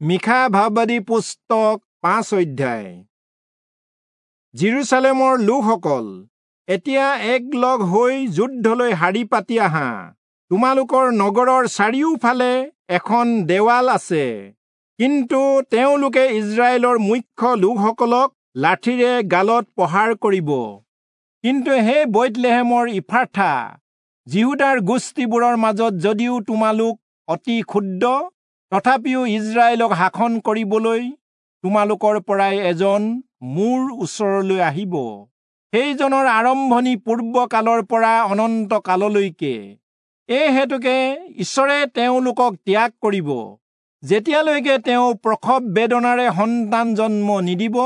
মীখা ভাববাদী পুস্তক 5 অধ্যায়। যিৰূচালেমৰ লোকসকল, এতিয়া একলগ হৈ যুদ্ধলৈ শাৰী পাতি আহা। তোমালোকৰ নগৰৰ চাৰিওফালে এখন দেৱাল আছে, কিন্তু তেওঁলোকে ইজৰাইলৰ মুখ্য লোকসকলক লাঠিৰে গালত প্ৰহাৰ কৰিব। কিন্তু হে বৈৎলেহেমৰ ইফ্ৰাথা, যিহূদাৰ গোষ্ঠীবোৰৰ মাজত যদিও তোমালোক অতি ক্ষুদ্ৰ, তথাপিও ইজৰাইলক শাসন কৰিবলৈ তোমালোকৰ পৰাই এজন মোৰ ওচৰলৈ আহিব। সেইজনৰ আৰম্ভণি পূৰ্বকালৰ পৰা অনন্ত কাললৈকে। এই হেতুকে ঈশ্বৰে তেওঁলোকক ত্যাগ কৰিব, যেতিয়ালৈকে তেওঁ প্ৰসৱ বেদনাৰে সন্তান জন্ম নিদিব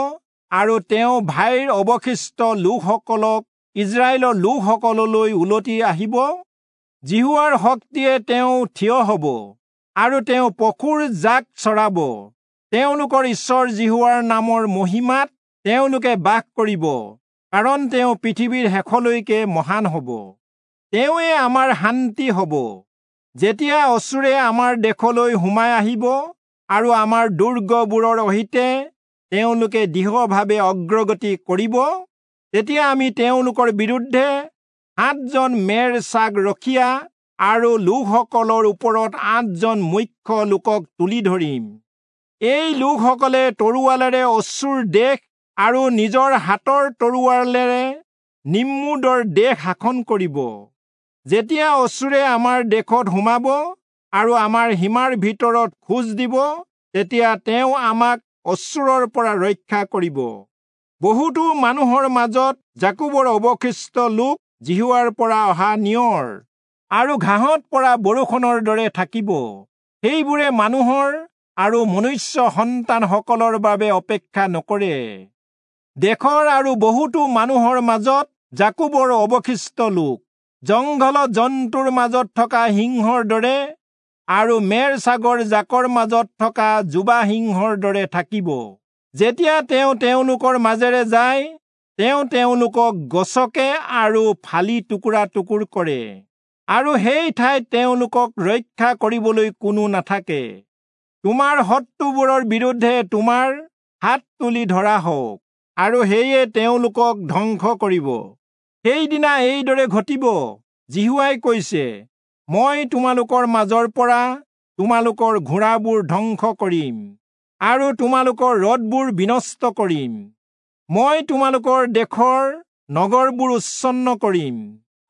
আৰু তেওঁ ভাইৰ অৱশিষ্ট লোকসকলক ইজৰাইলৰ লোকসকললৈ উলটি আহিব। যিহোৱাৰ শক্তিয়ে তেওঁ থিয় হ'ব আৰু তেওঁ পশুৰ জাক চৰাব। তেওঁলোকৰ ঈশ্বৰ যিহোৱাৰ নামৰ মহিমাত তেওঁলোকে বাস কৰিব, কাৰণ তেওঁ পৃথিৱীৰ শেষলৈকে মহান হ'ব। তেওঁৱে আমাৰ শান্তি হ'ব। যেতিয়া অচূৰে আমাৰ দেশলৈ সোমাই আহিব আৰু আমাৰ দুৰ্গবোৰৰ সৈতে তেওঁলোকে দৃঢ়ভাৱে অগ্ৰগতি কৰিব, তেতিয়া আমি তেওঁলোকৰ বিৰুদ্ধে 7জন মেৰ ছাগ ৰখীয়া আৰু লোকসকলৰ ওপৰত 8জন মুখ্য লোকক তুলি ধৰিম। এই লোকসকলে তৰোৱালেৰে অচূৰ দেশ আৰু নিজৰ হাতৰ তৰোৱালেৰে নিম্ৰোদৰ দেশ শাসন কৰিব। যেতিয়া অচূৰে আমাৰ দেশত সোমাব আৰু আমাৰ সীমাৰ ভিতৰত খোজ দিব, তেতিয়া তেওঁ আমাক অচূৰৰ পৰা ৰক্ষা কৰিব। বহুতো মানুহৰ মাজত যাকোবৰ অৱশিষ্ট লোক যিহোৱাৰ পৰা অহা নিয়ৰ আৰু ঘাঁহত পৰা বৰষুণৰ দৰে থাকিব। সেইবোৰে মানুহৰ আৰু মনুষ্য সন্তানসকলৰ বাবে অপেক্ষা নকৰে। দেশৰ আৰু বহুতো মানুহৰ মাজত যাকোবৰ অৱশিষ্ট লোক জংঘলত জন্তুৰ মাজত থকা সিংহৰ দৰে আৰু মেৰ ছাগৰ জাকৰ মাজত থকা যুৱা সিংহৰ দৰে থাকিব। যেতিয়া তেওঁ তেওঁলোকৰ মাজেৰে যায়, তেওঁ তেওঁলোকক গছকে আৰু ফালি টুকুৰা টুকুৰ কৰে, আৰু সেই ঠাইত তেওঁলোকক ৰক্ষা কৰিবলৈ কোনো নাথাকে। তোমাৰ শত্ৰুবোৰৰ বিৰুদ্ধে তোমাৰ হাত তুলি ধৰা হওক, আৰু সেয়ে তেওঁলোকক ধ্বংস কৰিব। সেইদিনা এইদৰে ঘটিব, যিহোৱাই কৈছে, মই তোমালোকৰ মাজৰ পৰা তোমালোকৰ ঘোঁৰাবোৰ ধ্বংস কৰিম আৰু তোমালোকৰ ৰথবোৰ বিনষ্ট কৰিম। মই তোমালোকৰ দেশৰ নগৰবোৰ উচ্ছন্ন কৰিম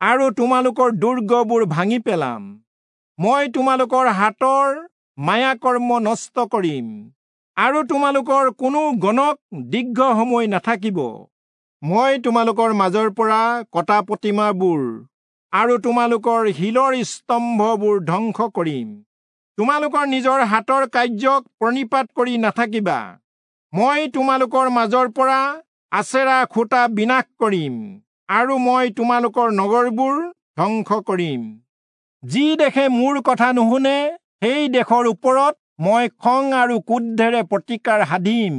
আৰু তোমালোকৰ দুৰ্গবোৰ ভাঙি পেলাম। মই তোমালোকৰ হাতৰ মায়াকৰ্ম নষ্ট কৰিম আৰু তোমালোকৰ কোনো গণক দীৰ্ঘ সময় নাথাকিব। মই তোমালোকৰ মাজৰ পৰা কটা প্ৰতিমাবোৰ আৰু তোমালোকৰ শিলৰ স্তম্ভবোৰ ধ্বংস কৰিম। তোমালোকৰ নিজৰ হাতৰ কাৰ্যক প্ৰণিপাত কৰি নাথাকিবা। মই তোমালোকৰ মাজৰ পৰা আচেৰা খুঁটা বিনাশ কৰিম আৰু মই তোমালোকৰ নগৰবোৰ ধ্বংস কৰিম। যি দেশে মোৰ কথা নুশুনে, সেই দেশৰ ওপৰত মই খং আৰু ক্ৰোধেৰে প্ৰতিকাৰ সাধিম।